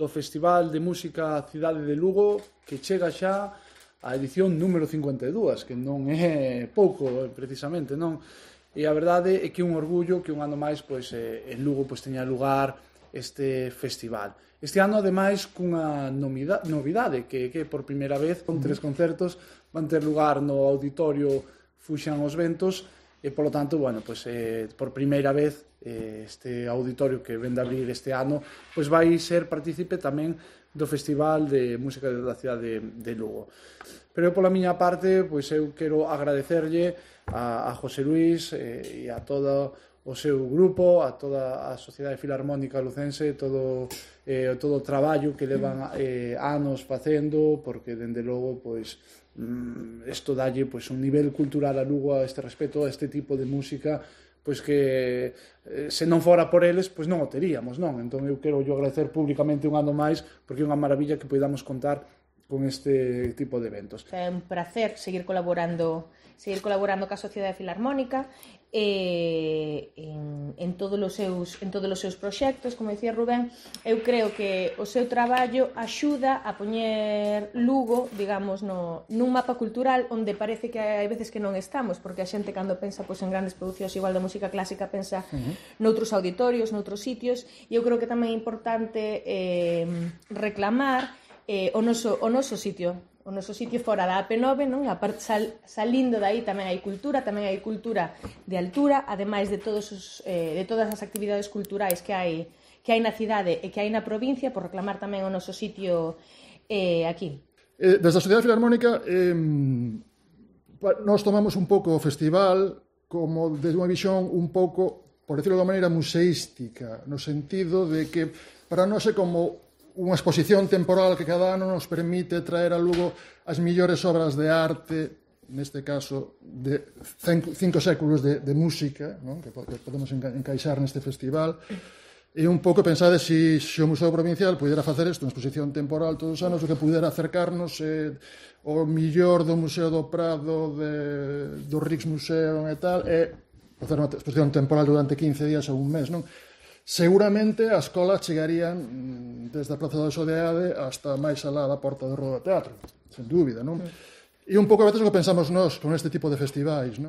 do Festival de Música Cidade de Lugo, que chega xa a edición número 52, que non é pouco, precisamente, non? E a verdade é que é un orgullo que un ano máis pois, en Lugo pois, teña lugar este festival. Este ano, ademais, cunha novidade, que por primeira vez, con 3 concertos, van ter lugar no Auditorio Fuxan os Ventos, e, polo tanto, bueno, pois, por primeira vez, este auditorio que vende a abrir este ano, pois vai ser partícipe tamén do Festival de Música da Cidade de Lugo. Pero pola miña parte, pois eu quero agradecerlle a José Luis e a todo o seu grupo, a toda a Sociedade Filarmónica Lucense, todo o traballo que levan anos facendo, porque, dende logo, pois, isto dalle pois, un nivel cultural a Lugo a este respecto, a este tipo de música, pois que se non fora por eles, pois non o teríamos, non? Entón eu quero agradecer públicamente un ano máis, porque é unha maravilla que podamos contar con este tipo de eventos. É un placer seguir colaborando ca Sociedade Filarmónica en todos os seus proxectos, como dicía Rubén. Eu creo que o seu traballo axuda a poñer Lugo, digamos, nun mapa cultural onde parece que hai veces que non estamos, porque a xente cando pensa pois, en grandes producións igual da música clásica pensa noutros auditorios, noutros sitios, e eu creo que tamén é importante reclamar o noso sitio fora da AP9, non? A parte salindo dai tamén hai cultura de altura, ademais de todas as actividades culturais que hai na cidade e que hai na provincia, por reclamar tamén o noso sitio aquí. Desde a Sociedade Filarmónica nós tomamos un pouco o festival como desde unha visión un pouco, por decirlo de unha maneira, museística, no sentido de que para nós é como unha exposición temporal que cada ano nos permite traer a Lugo as millores obras de arte, neste caso de 5 séculos de música, non? Que podemos encaixar neste festival, e un pouco pensade se o Museo Provincial pudera facer isto, unha exposición temporal todos os anos, o que pudera acercarnos o millor do Museo do Prado, do Rijksmuseum e tal, e facer unha exposición temporal durante 15 días ou un mes, non? Seguramente as colas chegarían desde a Praza da Sodeade hasta máis alá da Porta do Rodo Teatro, sen dúbida, non? E un pouco a veces o que pensamos nós con este tipo de festivais, non?